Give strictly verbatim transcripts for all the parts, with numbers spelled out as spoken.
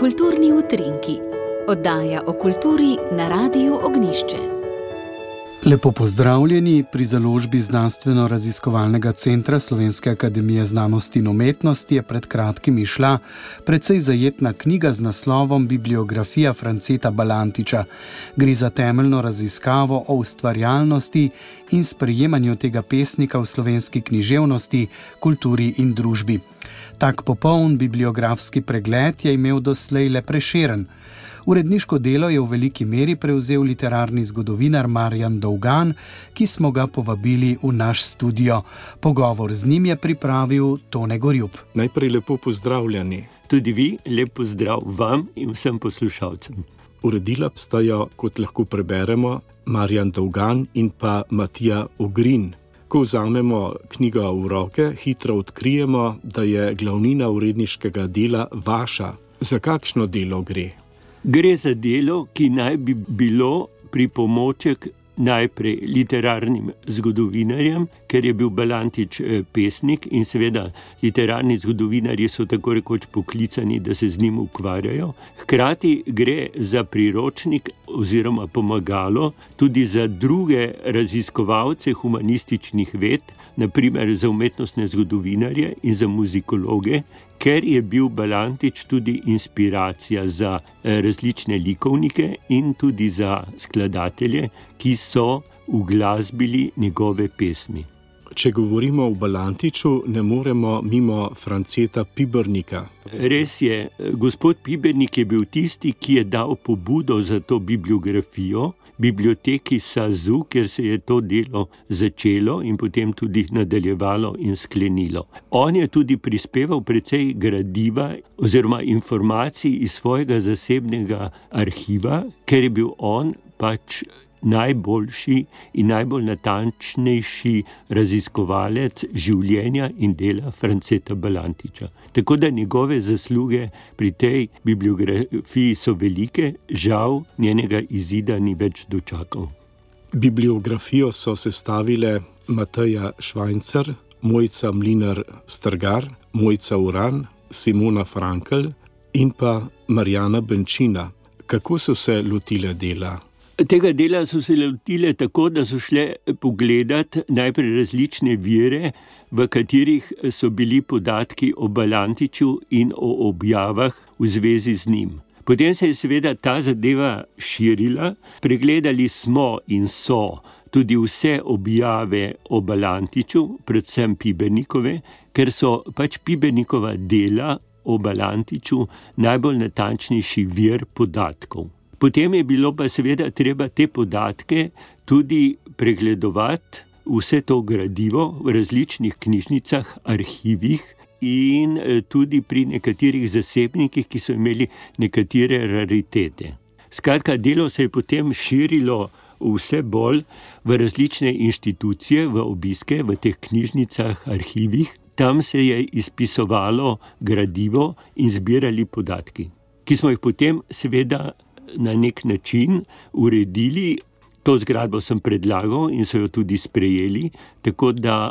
Kulturni utrinki, oddaja o kulturi na Radiu Ognjišče. Lepo pozdravljeni pri založbi Znanstveno-raziskovalnega centra Slovenske akademije znanosti in umetnosti je pred kratkim izšla precej zajetna knjiga z naslovom Bibliografija Franceta Balantiča. Gre za temeljno raziskavo o ustvarjalnosti in sprejemanju tega pesnika v slovenski književnosti, kulturi in družbi. Tak popoln bibliografski pregled je imel doslej le Prešeren. Uredniško delo je v veliki meri prevzel literarni zgodovinar Marjan Dolgan, ki smo ga povabili v naš studio. Pogovor z njim je pripravil Tone Gorjup. Najprej lepo pozdravljeni. Tudi vi, lep pozdrav vam in vsem poslušalcem. Uredila sta jo, kot lahko preberemo, Marjan Dolgan in pa Matija Ogrin. Ko vzamemo knjigo v roke, hitro odkrijemo, da je glavnina uredniškega dela vaša. Za kakšno delo gre? Gre za delo, ki naj bi bilo pripomoček najprej literarnim zgodovinarjem, ker je bil Balantič pesnik in seveda literarni zgodovinarji so tako rekoč poklicani, da se z njim ukvarjajo. Hkrati gre za priročnik oziroma pomagalo tudi za druge raziskovalce humanističnih ved, na primer za umetnostne zgodovinarje in za muzikologe, ker je bil Balantič tudi inspiracija za različne likovnike in tudi za skladatelje, ki so uglasbili njegove pesmi. Če govorimo o Balantiču, ne moremo mimo Franceta Pibernika. Res je, gospod Pibernik je bil tisti, ki je dal pobudo za to bibliografijo, biblioteki Sazu, kjer se je to delo začelo in potem tudi nadaljevalo in sklenilo. On je tudi prispeval precej gradiva oziroma informacij iz svojega zasebnega arhiva, ker je bil on pač najboljši in najbolj natančnejši raziskovalec življenja in dela Franceta Balantiča. Tako da njegove zasluge pri tej bibliografiji so velike, žal njenega izida ni več dočakal. Bibliografijo so sestavile Mateja Švajncer, Mojca Mlinar Strgar, Mojca Uran, Simona Frankl in pa Marjana Benčina. Kako so se lotile dela? Tega dela so se lotile tako, da so šle pogledati najprej različne vire, v katerih so bili podatki o Balantiču in o objavah v zvezi z njim. Potem se je seveda ta zadeva širila, pregledali smo in so tudi vse objave o Balantiču, predvsem Pibernikove, ker so pač Pibernikova dela o Balantiču najbolj natančnejši vir podatkov. Potem je bilo pa seveda treba te podatke tudi pregledovati, vse to gradivo v različnih knjižnicah, arhivih in tudi pri nekaterih zasebnikih, ki so imeli nekatere raritete. Skratka, delo se je potem širilo vse bolj v različne inštitucije, v obiske, v teh knjižnicah, arhivih. Tam se je izpisovalo gradivo in zbirali podatki, ki smo jih potem seveda na nek način uredili. To zgradbo sem predlagal in so jo tudi sprejeli, tako da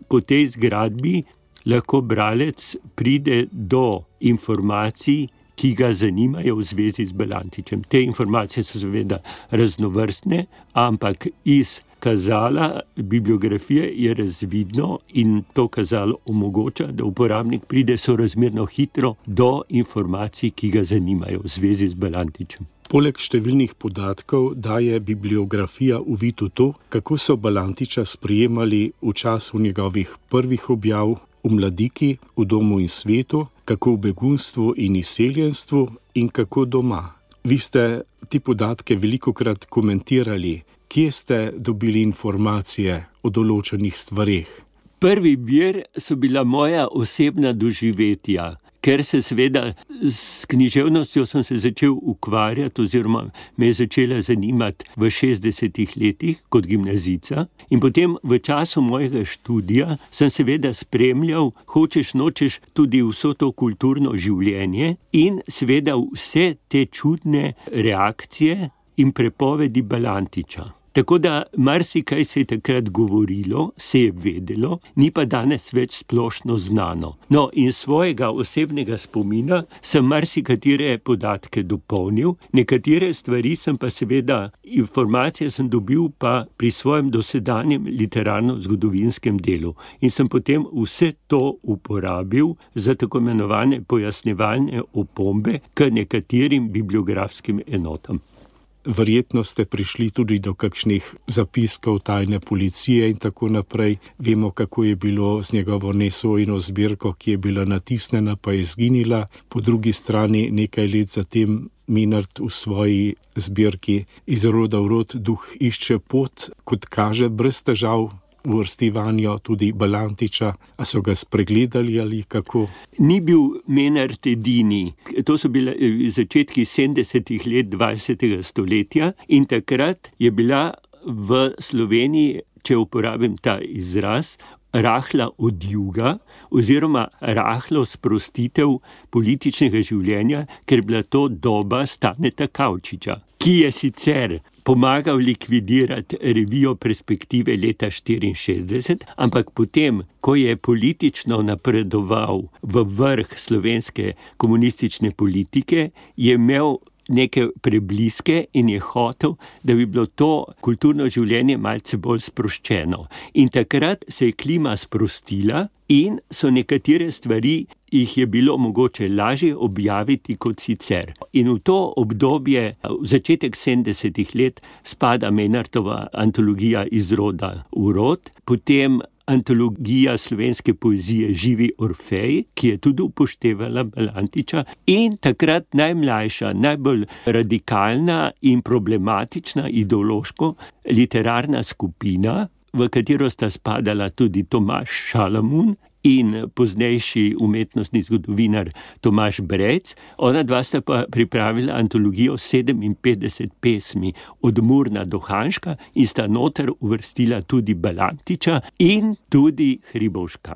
po tej zgradbi lahko bralec pride do informacij, ki ga zanimajo v zvezi z Balantičem. Te informacije so seveda raznovrstne, ampak iz kazala bibliografije je razvidno in to kazalo omogoča, da uporabnik pride sorazmerno hitro do informacij, ki ga zanimajo v zvezi z Balantičem. Poleg številnih podatkov daje bibliografija uvid v to, kako so Balantiča sprejemali v času njegovih prvih objav v Mladiki, v Domu in svetu, kako v begunstvu in izseljenstvu in kako doma. Vi ste ti podatke velikokrat komentirali. Kje ste dobili informacije o določenih stvareh? Prvi vir so bila moja osebna doživetja, ker se seveda s književnostjo sem se začel ukvarjati oziroma me je začela zanimati v šestdesetih letih kot gimnazijca in potem v času mojega študija sem seveda spremljal, hočeš nočeš, tudi vso to kulturno življenje in seveda vse te čudne reakcije in prepovedi Balantiča. Tako da marsikaj se je takrat govorilo, se je vedelo, ni pa danes več splošno znano. No, in svojega osebnega spomina sem marsikatere podatke dopolnil, nekatere stvari sem pa seveda, informacije sem dobil pa pri svojem dosedanjem literarno-zgodovinskem delu. In sem potem vse to uporabil za tako imenovane pojasnjevalne opombe k nekaterim bibliografskim enotam. Verjetno ste prišli tudi do kakšnih zapiskov tajne policije in tako naprej. Vemo, kako je bilo z njegovo nesojeno zbirko, ki je bila natisnjena, pa je izginila. Po drugi strani nekaj let zatem Menard v svoji zbirki Iz roda v rod duh išče pot, kot kaže, brez težav uvrstivanju tudi Balantiča. A so ga spregledali ali kako? Ni bil Menard edini. To so bile začetki sedemdesetih let dvajsetega stoletja in takrat je bila v Sloveniji, če uporabim ta izraz, rahla odjuga oziroma rahlo sprostitev političnega življenja, ker je bila to doba Staneta Kavčiča, ki je sicer pomagal likvidirati revijo Perspektive leta štiriinšestdeset, ampak potem, ko je politično napredoval v vrh slovenske komunistične politike, je imel neke prebliske in je hotel, da bi bilo to kulturno življenje malce bolj sproščeno. In takrat se je klima sprostila in so nekatere stvari, jih je bilo mogoče lažje objaviti kot sicer. In v to obdobje, v začetek sedemdesetih let, spada Menardova antologija Iz roda v rod, potem antologija slovenske poezije Živi Orfej, ki je tudi upoštevala Balantiča, in takrat najmlajša, najbolj radikalna in problematična ideološko literarna skupina, v katero sta spadala tudi Tomaž Šalamun in poznejši umetnostni zgodovinar Tomaž Brec. Ona dva sta pa pripravila antologijo sedeminpetdeset pesmi od Murna do Hanška in sta noter uvrstila tudi Balantiča in tudi Hribovška.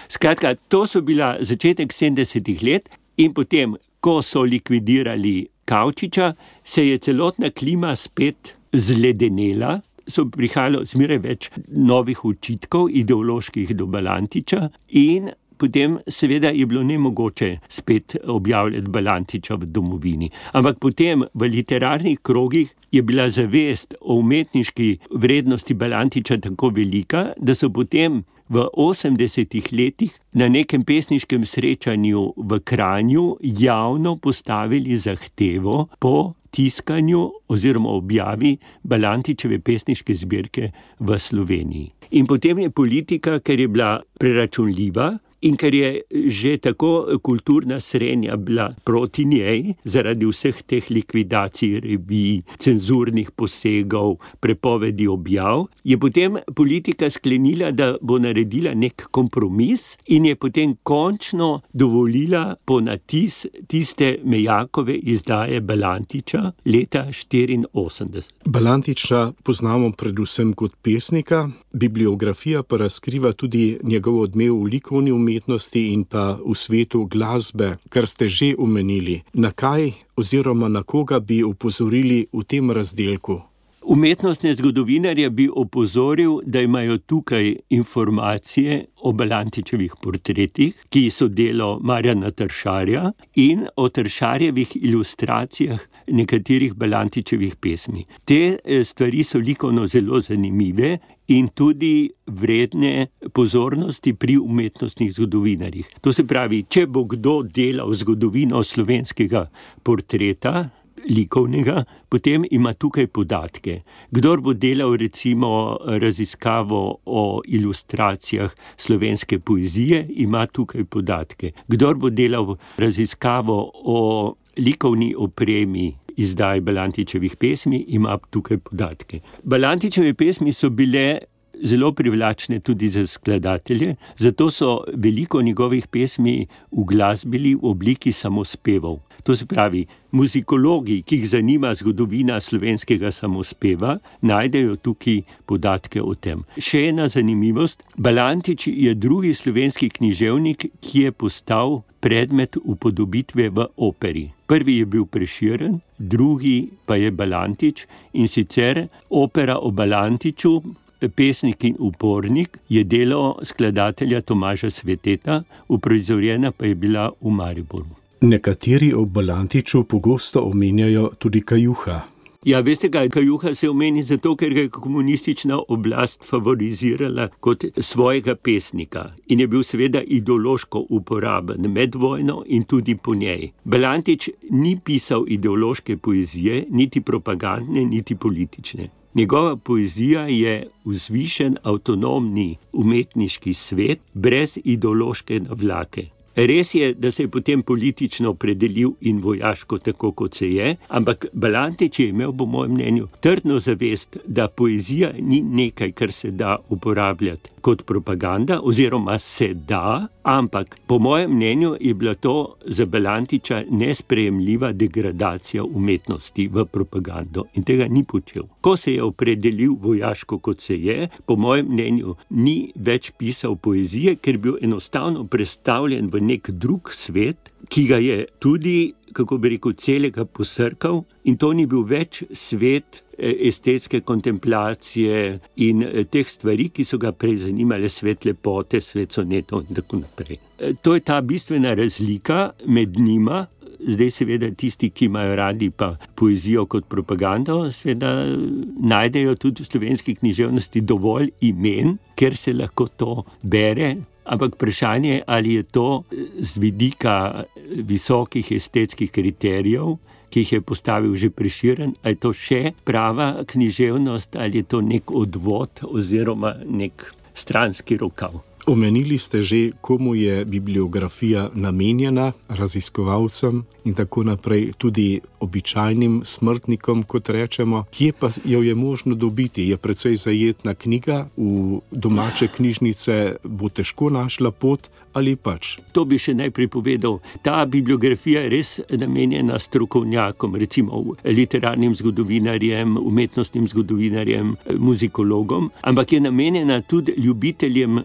Skratka, to so bila začetek sedemdesetih let in potem, ko so likvidirali Kavčiča, se je celotna klima spet zledenela, so prihajalo zmeraj več novih očitkov, ideoloških do Balantiča in potem seveda je bilo nemogoče spet objavljati Balantiča v domovini. Ampak potem v literarnih krogih je bila zavest o umetniški vrednosti Balantiča tako velika, da so potem v osemdesetih letih na nekem pesniškem srečanju v Kranju javno postavili zahtevo po tiskanju oziroma objavi Balantičeve pesniške zbirke v Sloveniji. In potem je politika, ker je bila preračunljiva in ker je že tako kulturna srenja bila proti njej, zaradi vseh teh likvidacij revij, cenzurnih posegov, prepovedi objav, je potem politika sklenila, da bo naredila nek kompromis in je potem končno dovolila ponatis tiste Mejakove izdaje Balantiča leta štiriinosemdeset. Balantiča poznamo predvsem kot pesnika, bibliografija pa razkriva tudi njegov odmev v likovni umetnosti in pa v svetu glasbe, kar ste že omenili. Na kaj oziroma na koga bi opozorili v tem razdelku? Umetnostne zgodovinarje bi opozoril, da imajo tukaj informacije o Balantičevih portretih, ki so delo Marjana Tršarja, in o Tršarjevih ilustracijah nekaterih Balantičevih pesmi. Te stvari so likovno zelo zanimive in tudi vredne pozornosti pri umetnostnih zgodovinarjih. To se pravi, če bo kdo delal zgodovino slovenskega portreta, likovnega, potem ima tukaj podatke. Kdor bo delal recimo raziskavo o ilustracijah slovenske poezije, ima tukaj podatke. Kdor bo delal raziskavo o likovni opremi izdaj Balantičevih pesmi, ima tukaj podatke. Balantičeve pesmi so bile zelo privlačne tudi za skladatelje, zato so veliko njegovih pesmi uglasbili v obliki samospevov. To se pravi, muzikologi, ki jih zanima zgodovina slovenskega samospeva, najdejo tukaj podatke o tem. Še ena zanimivost, Balantič je drugi slovenski književnik, ki je postal predmet upodobitve v operi. Prvi je bil Prešeren, drugi pa je Balantič, in sicer opera o Balantiču, Pesnik in upornik, je delo skladatelja Tomaža Sveteta, uprizorjena pa je bila v Mariboru. Nekateri o Balantiču pogosto omenjajo tudi Kajuha. Ja, veste kaj, Kajuha se omeni zato, ker ga je komunistična oblast favorizirala kot svojega pesnika in je bil seveda ideološko uporaben med vojno in tudi po njej. Balantič ni pisal ideološke poezije, niti propagandne, niti politične. Njegova poezija je vzvišen, avtonomni umetniški svet brez ideološke navlake. Res je, da se je potem politično opredelil in vojaško tako, kot se je, ampak Balantič je imel, po mojem mnenju, trdno zavest, da poezija ni nekaj, kar se da uporabljati kot propaganda, oziroma se da, ampak po mojem mnenju je bila to za Balantiča nesprejemljiva degradacija umetnosti v propagando in tega ni počel. Ko se je opredelil vojaško, kot se je, po mojem mnenju ni več pisal poezije, ker je bil enostavno prestavljen v nek drug svet, ki ga je tudi, kako bi rekel, celega posrkal, in to ni bil več svet estetske kontemplacije in teh stvari, ki so ga prej zanimale, svet lepote, svet sonetov in tako naprej. To je ta bistvena razlika med njima. Zdaj seveda tisti, ki imajo radi pa poezijo kot propagando, seveda najdejo tudi v slovenski književnosti dovolj imen, ker se lahko to bere. Ampak vprašanje je, ali je to z vidika visokih estetskih kriterijev, ki jih je postavil že Prešeren, ali je to še prava književnost, ali je to nek odvod oziroma nek stranski rokav. Omenili ste že, komu je bibliografija namenjena, raziskovalcem in tako naprej, tudi običajnim smrtnikom, kot rečemo. Kje pa jo je možno dobiti? Je precej zajetna knjiga, v domače knjižnice bo težko našla pot ali pač? To bi še najprej povedal. Ta bibliografija je res namenjena strokovnjakom, recimo literarnim zgodovinarjem, umetnostnim zgodovinarjem, muzikologom, ampak je namenjena tudi ljubiteljem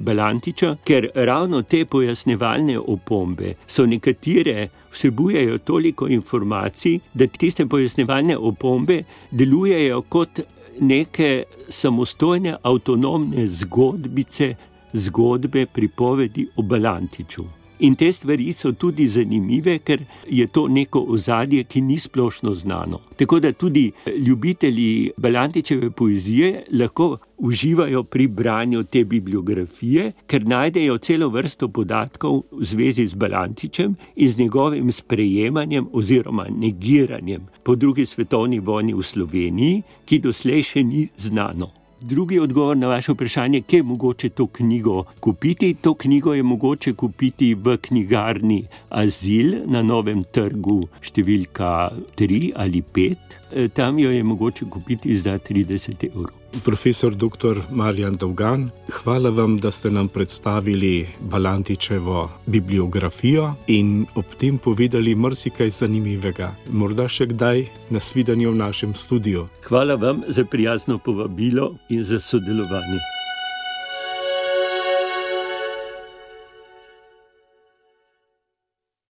Balantiča, ker ravno te pojasnevalne opombe so nekatere vsebujejo toliko informacij, da tiste pojasnevalne opombe delujejo kot neke samostojne, avtonomne zgodbice, zgodbe, pripovedi o Balantiču. In te stvari so tudi zanimive, ker je to neko ozadje, ki ni splošno znano. Tako da tudi ljubitelji Balantičeve poezije lahko uživajo pri branju te bibliografije, ker najdejo celo vrsto podatkov v zvezi z Balantičem in z njegovim sprejemanjem oziroma negiranjem po drugi svetovni vojni v Sloveniji, ki doslej še ni znano. Drugi odgovor na vaše vprašanje, kje je mogoče to knjigo kupiti. To knjigo je mogoče kupiti v knjigarni Azil na Novem trgu številka tri ali pet. Tam jo je mogoče kupiti za trideset evrov. Profesor doktor Marjan Dolgan, hvala vam, da ste nam predstavili Balantičevo bibliografijo in ob tem povedali marsikaj zanimivega. Morda še kdaj nasvidenje v našem studiu. Hvala vam za prijazno povabilo in za sodelovanje.